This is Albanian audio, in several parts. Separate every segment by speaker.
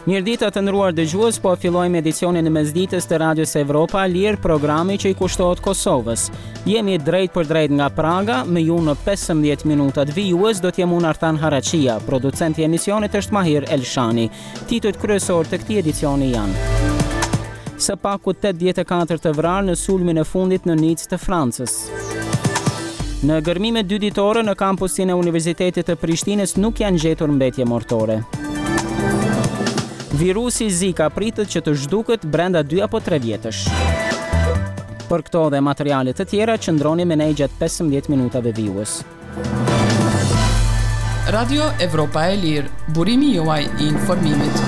Speaker 1: Mirëdita të nderuar dëgjues, po fillojmë edicionin e mesditës të Radios Evropa e Lirë, programi që i kushtohet Kosovës. Jemi drejtpërdrejt nga Praga, me ju në 15 minutat vijues do të jem unë Artan Haraqija, producenti i emisionit është Mahir Elshani. Titujt kryesorë të këtij edicioni janë Së paku 84 të vrarë në sulmin e fundit në Nicë të Francës. Në gërmimet dyditore në kampusin e Universitetit të Prishtinës nuk janë gjetur mbetje mortore. Virusi Zika pritet që të zhduket brenda 2 apo 3 vjetësh. Për këto dhe materiale të tjera qëndroni me ne gjatë 15 minutave vijues.
Speaker 2: Radio Evropa e Lirë, burimi juaj i informimit.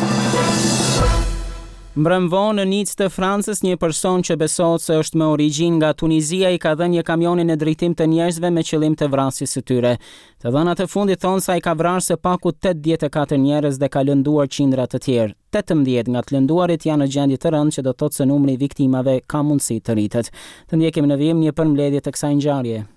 Speaker 1: Mbrëmë vonë në Nicë të Francës, një person që besohet se është me origjinë nga Tunizia i ka dhënë një kamioni në drejtim të njerëzve me qëllim të vrasjes së tyre. Të dhënat e fundit thonë se ai ka vrarë së paku 84 njerëz dhe ka lënduar qindra të tjerë. 18 nga të lënduarit janë në gjendje të rëndë që do të thotë se numri i viktimave ka mundësi të rritet. Të ndjekim në vijim një përmbledhje të kësaj ngjarjeje.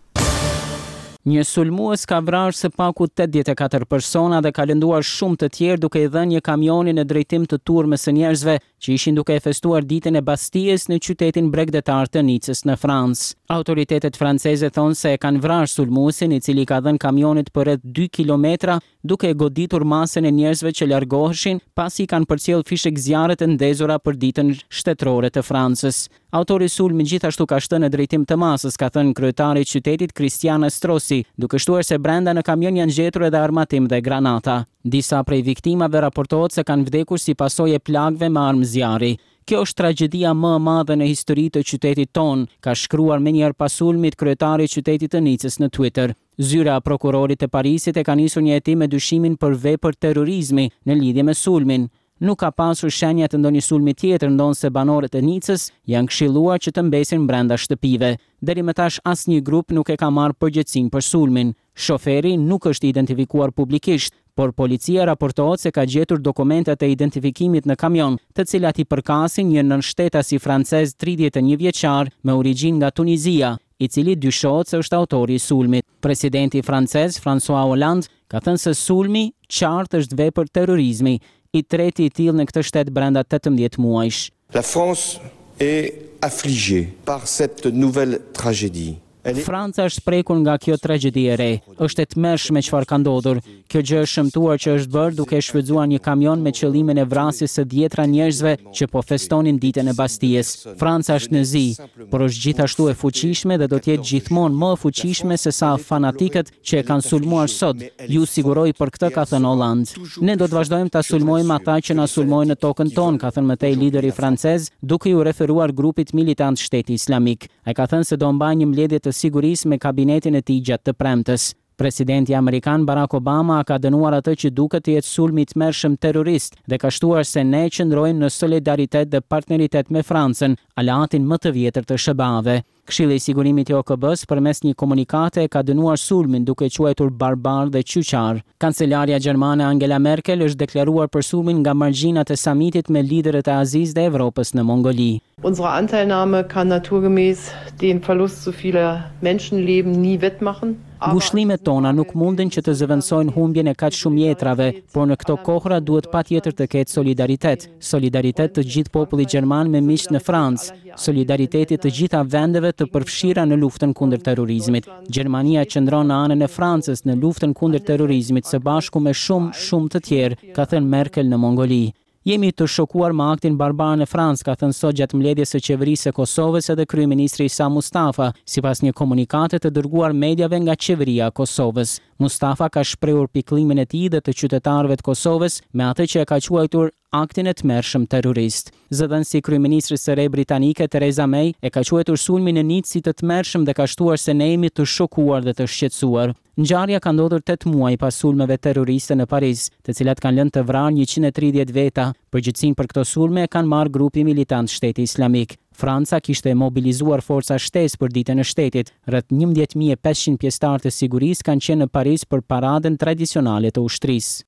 Speaker 1: Një sulmues ka vrarë së paku 84 persona dhe ka lënduar shumë të tjerë duke i dhënë një kamioni në drejtim të turmës së njerëzve që ishin duke e festuar ditën e Bastijës në qytetin bregdetar të Nicës në Francë. Autoritetet franceze thonë se e kanë vrarë sulmuesin i cili i ka dhënë kamionit për rreth 2 kilometra duke e goditur masën e njerëzve që largoheshin pasi i kanë përcjellë fishekzjarret e ndezura për ditën shtetërore të Francës. Autori i sulmit gjithashtu ka shtënë në drejtim të masës, ka thënë kryetari i qytetit Christian Estrosi, duke shtuar se brenda në kamion janë gjetur edhe armatim dhe granata. Disa prej viktimave raportohet se kanë vdekur si pasojë e plagëve me armë zjarri. Kjo është tragjedia më e madhe në histori të qytetit tonë, ka shkruar menjëherë pas sulmit kryetari i qytetit të Nicës në Twitter. Zyra e prokurorit të Parisit e ka nisur një hetim me dyshimin për vepër terrorizmi në lidhje me sulmin. Nuk ka pasur shenja të ndonjë sulmi tjetër ndonëse banorët e Nicës janë këshilluar që të mbesin brenda shtëpive. Deri më tash asnjë grup nuk e ka marrë përgjegjësinë për sulmin. Shoferi nuk është identifikuar publikisht, por policia raportohet se ka gjetur dokumentet e identifikimit në kamion, të cilat i përkasin një nënshtetasi francez 31 vjeçar me origjinë nga Tunizia, i cili dyshohet se është autori i sulmit. Presidenti francez, François Hollande, ka thënë se sulmi qartë është vepër terrorizmi, i treti i tillë në këtë shtet brenda 18 muajsh.
Speaker 3: La France est affligée par cette nouvelle tragédie.
Speaker 1: Franca është prekur nga kjo tragjedi e re. Është e tmerrshme çfarë ka ndodhur. Kjo gjë e shëmtuar që është bërë duke e shfrytëzuar një kamion me qëllimin e vrasjes së dhjetra njerëzve që po festonin ditën e Bastijës. Franca është në zi, por është gjithashtu e fuqishme dhe do të jetë gjithmonë më e fuqishme se sa fanatikët që e kanë sulmuar sot, ju siguroj për këtë, ka thënë Hollande. Ne do të vazhdojmë ta sulmojmë ata që na sulmojnë në tokën tonë, ka thënë më tej lideri francez, duke iu referuar grupit militant Shteti Islamik. Ai ka thënë se do mbajë një mbledhje të sigurisë me kabinetin e tij gjatë të premtes. Presidenti amerikan Barack Obama ka dënuar atë që duket të jetë sulm i tmerrshëm terrorist dhe ka shtuar se ne qëndrojmë në solidaritet dhe partneritet me Francën, aleatin më të vjetër të SHBA-ve. Këshilli i Sigurimit i OKB-së përmes një komunikate e ka dënuar sulmin duke e quajtur barbar dhe qyqar. Kancelarja gjermane Angela Merkel është deklaruar për sulmin nga margjinat e samitit me liderët e Azisë dhe Evropës në Mongoli.
Speaker 4: Unsere Anteilnahme kann naturgemäß den Verlust so vieler Menschenleben nie wettmachen.
Speaker 1: Ngushëllimet tona nuk munden që të zëvendësojnë humbjen e kaq shumë jetrave, por në këto kohëra duhet patjetër të ketë solidaritet. Solidaritet të gjithë popullit gjerman me miqtë në Francë, solidariteti të gjitha vendeve të përfshira në luftën kundër terrorizmit. Gjermania qëndron në anën e Francës në luftën kundër terrorizmit së bashku me shumë, shumë të tjerë, ka thënë Merkel në Mongoli. Jemi të shokuar me aktin barbar në Francë, ka thënë sot gjatë mbledhjes së Qeverisë së Kosovës edhe kryeministri Isa Mustafa, sipas një komunikate të dërguar mediave nga Qeveria e Kosovës. Mustafa ka shprehur pikëllimin e tij dhe të qytetarëve të Kosovës me atë që e ka quajtur aktin e tmerrshëm terrorist. Zëdhënësi i kryeministres së re britanike Theresa May e ka quajtur sulmin në Nicë si të tmerrshëm dhe ka shtuar se ne jemi të shokuar dhe të shqetësuar. Ngjarja ka ndodhur tetë muaj pas sulmeve terroriste në Paris, të cilat kanë lënë të vrarë 130 veta. Përgjegjësinë për këto sulme e kanë marrë grupi militant Shteti Islamik. Franca kishte mobilizuar forca shtesë për ditën e shtetit. Rreth 11.500 pjesëtarë të sigurisë kanë qenë në Paris për paradën tradicionale të ushtrisë.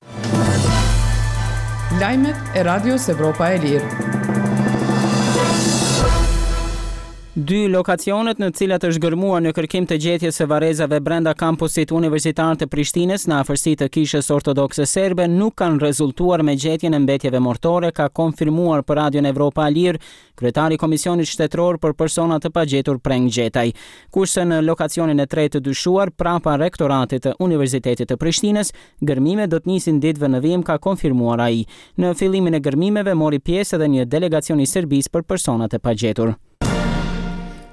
Speaker 2: Lajmet e Radios Evropa e Lirë.
Speaker 1: Dy lokacionet në të cilat është gërmuar në kërkim të gjetjes së varrezave brenda kampusit universitar të Prishtinës në afërsi të Kishës Ortodokse Serbe nuk kanë rezultuar me gjetjen e mbetjeve mortore, ka konfirmuar për Radion Evropa e Lirë kryetari i Komisionit Shtetëror për Persona të Pagjetur Preng Gjetaj. Kurse në lokacionin e tretë të dyshuar, prapa Rektoratit të Universitetit të Prishtinës, gërmimet do të nisin ditëve në vijim, ka konfirmuar ai. Në fillimin e gërmimeve mori pjesë edhe një delegacion i Serbisë për personat e pagjetur.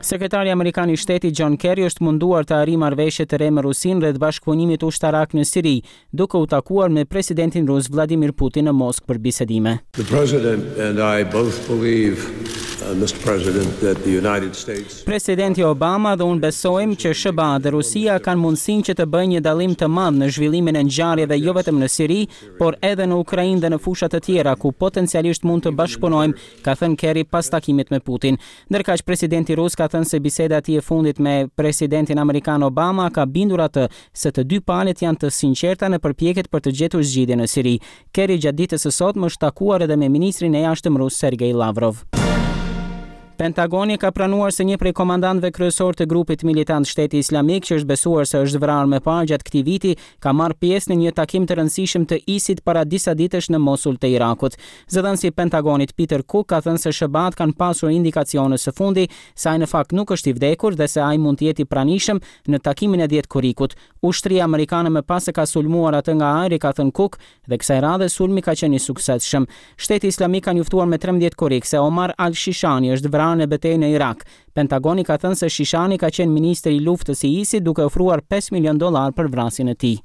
Speaker 1: Sekretari amerikan i Shtetit John Kerry është munduar të arrijë marrëveshje të re me Rusinë rreth bashkëpunimit ushtarak në Siri, duke u takuar me presidentin rus Vladimir Putin në Moskë për bisedime.
Speaker 5: The president and I both believe, Mister President, that the United States
Speaker 1: Presidenti Obama dhe unë besojmë që SHBA dhe Rusia kanë mundësinë që të bëjnë një dallim të madh në zhvillimin e ngjarjeve jo vetëm në Siri, por edhe në Ukrainë dhe në fusha të tjera ku potencialisht mund të bashkëpunojmë, ka thënë Kerry pas takimit me Putin. Ndërkaq, presidenti rus ka thënë se biseda e tij e fundit me presidentin amerikan Obama ka bindur atë se të dy palët janë të sinqerta në përpjekjet për të gjetur zgjidhje në Siri. Kerry gjatë ditës së sotme është takuar edhe me ministrin e Jashtëm rus Sergei Lavrov. Pentagoni ka pranuar se një prej komandantëve kryesorë të grupit militant Shteti Islamik, që është besuar se është vrarë më parë gjatë këtij viti, ka marrë pjesë në një takim të rëndësishëm të ISIT para disa ditësh në Mosul të Irakut. Zëdhënësi i Pentagonit Peter Cook ka thënë se SHBA-të kanë pasur indikacione së fundi se ai në fakt nuk është i vdekur dhe se ai mund të jetë i pranishëm në takimin e dhjetë korrikut. Ushtria amerikane më pas e ka sulmuar atë nga ajri, ka thënë Cook, Dhe kësaj radhe sulmi ka qenë i suksesshëm. Shteti Islamik ka njoftuar me 13 korrik se Omar al-Shishani është vrarë në betejë në Irak. Pentagoni ka thënë se Shishani ka qenë ministër i luftës i ISIT duke ofruar 5 milionë dollarë për vrasjen e tij.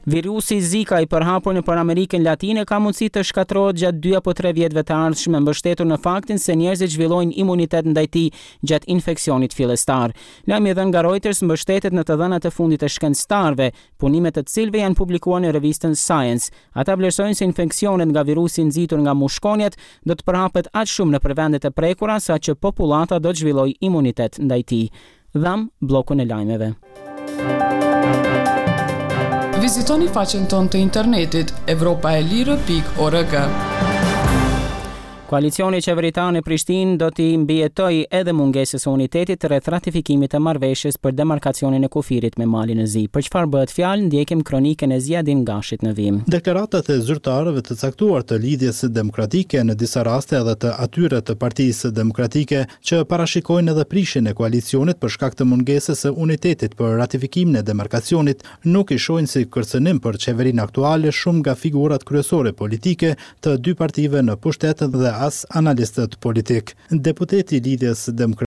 Speaker 1: Virusi Zika i përhapur nëpër Amerikën Latine ka mundësi të shkatërrohet gjatë dy apo tre vjetëve të ardhshme, mbështetur në faktin se njerëzit zhvillojnë imunitet ndaj tij gjatë infeksionit fillestar. Lajmi i dhënë nga Reuters mbështetet në të dhënat e fundit të shkencëtarëve, punimet e të cilëve janë publikuar në revistën Science. Ata vlerësojnë se infeksionet nga virusi i nxitur nga mushkonjat do të përhapet aq shumë nëpër vendet e prekura sa që popullata do të zhvillojë imunitet ndaj tij. Dhamë bllokun e lajmeve.
Speaker 2: Vizitoni faqen tonë të internetit evropaelire.org.
Speaker 1: Koalicioni qeveritar në Prishtinë do t'i mbijetojë edhe mungesës së unitetit rreth ratifikimit të marrëveshjes për demarkacionin e kufirit me Malin e Zi. Për çfarë bëhet fjalë, ndjekim kronikën e Ziadin Gashit në vijim.
Speaker 6: Deklaratat e zyrtarëve të caktuar të Lidhjes Demokratike, në disa raste edhe të atyre të Partisë Demokratike, që parashikojnë edhe prishjen e koalicionit për shkak të mungesës së unitetit për ratifikimin e demarkacionit, nuk i shohin si kërcënim për qeverinë aktuale shumë nga figurat kryesore politike të dy partive në pushtet dhe as analistët politikë. Deputeti i Lidhjes Demokratike.